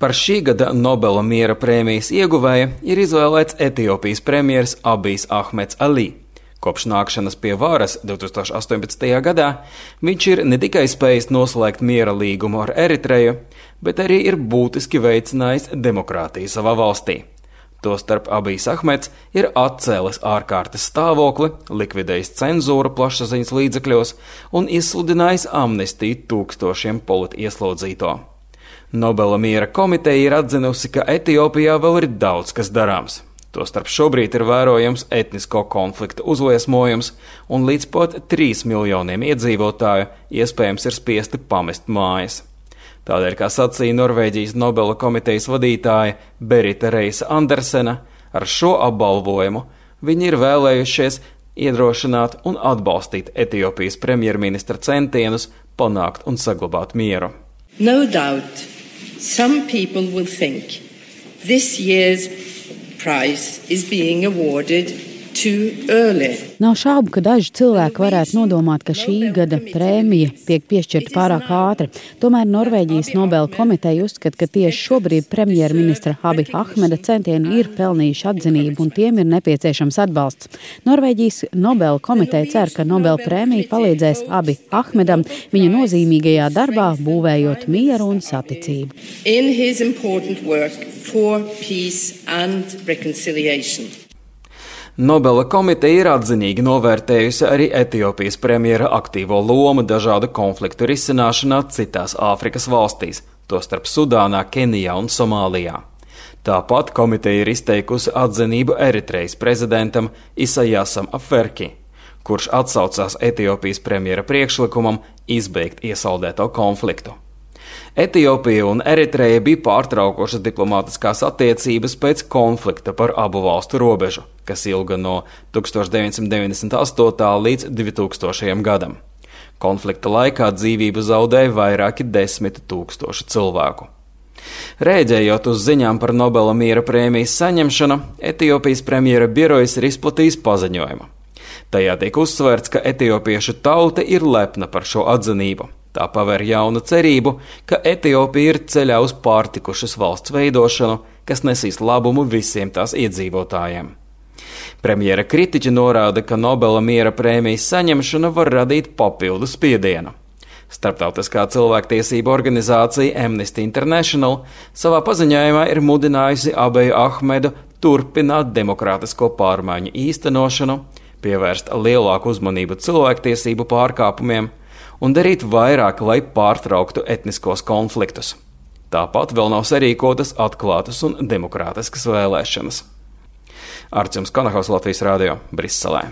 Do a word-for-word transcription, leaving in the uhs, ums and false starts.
Par šī gada Nobela miera prēmijas ieguvēja ir izvēlēts Etiopijas premjers Abijs Ahmeds Ali. Kopš nākšanas pie varas divtūkstoš astoņpadsmitajā gadā viņš ir ne tikai spējis noslēgt miera līgumu ar Eritreju, bet arī ir būtiski veicinājis demokrātiju savā valstī. Tostarp Abijs Ahmeds ir atcēlis ārkārtas stāvokli, likvidējis cenzūru plašsaziņas līdzekļos un izsludinājis amnestiju tūkstošiem politieslodzīto. Nobela miera komiteja ir atzinusi, ka Etiopijā vēl ir daudz kas darāms. Tostarp šobrīd ir vērojams etnisko konfliktu uzliesmojums un līdz pat trīs miljoniem iedzīvotāju iespējams ir spiesti pamest mājas. Tādēļ, kā sacīja Norvēģijas Nobela komitejas vadītāja Berita Reisa Andersena, ar šo apbalvojumu viņi ir vēlējušies iedrošināt un atbalstīt Etiopijas premjerministra centienus panākt un saglabāt mieru. No doubt, some people will think this year's prize is being awarded too early. Nav šaubu, ka daži cilvēki varētu nodomāt, ka šī gada prēmija tiek piešķirta pārāk ātri. Tomēr Norvēģijas Nobela komiteja uzskata, ka tieši šobrīd premjerministra Abija Ahmeda centieni ir pelnījuši atzinību un tiem ir nepieciešams atbalsts. Norvēģijas Nobela komiteja cer, ka Nobela prēmija palīdzēs Abija Ahmedam viņa nozīmīgajā darbā būvējot mieru un saticību. In his important work for peace and reconciliation. Nobela komiteja ir atzinīgi novērtējusi arī Etiopijas premjera aktīvo lomu dažādu konfliktu risināšanā citās Āfrikas valstīs, tostarp Sudānā, Kenijā un Somālijā. Tāpat komiteja ir izteikusi atzinību Eritrejas prezidentam Isaiasam Afwerki, kurš atsaucās Etiopijas premjera priekšlikumam izbeigt iesaldēto konfliktu. Etiopija un Eritreja bija pārtraukušas diplomātiskās attiecības pēc konflikta par abu valstu robežu, kas ilga no tūkstoš deviņsimt deviņdesmit astotā līdz divtūkstošajam gadam. Konflikta laikā dzīvību zaudēja vairāki desmit tūkstoši cilvēku. Rēģējot uz ziņām par Nobela miera prēmijas saņemšanu, Etiopijas premjera birojas ir izplatījis paziņojumu. Tajā tiek uzsvērts, ka etiopiešu tauta ir lepna par šo atzinību. Tā paver jaunu cerību, ka Etiopija ir ceļā uz pārtikušas valsts veidošanu, kas nesīs labumu visiem tās iedzīvotājiem. Premjera kritiķi norāda, ka Nobela miera prēmijas saņemšana var radīt papildu spiedienu. Starptautiskā cilvēktiesība organizācija Amnesty International savā paziņojumā ir mudinājusi Abiju Ahmedu turpināt demokrātisko pārmaiņu īstenošanu, pievērst lielāku uzmanību cilvēktiesību pārkāpumiem un darīt vairāk, lai pārtrauktu etniskos konfliktus. Tāpat vēl nav sarīkotas atklātas un demokrātiskas vēlēšanas. Arčuns Kanahaus, Latvijas Rādio, Briselē.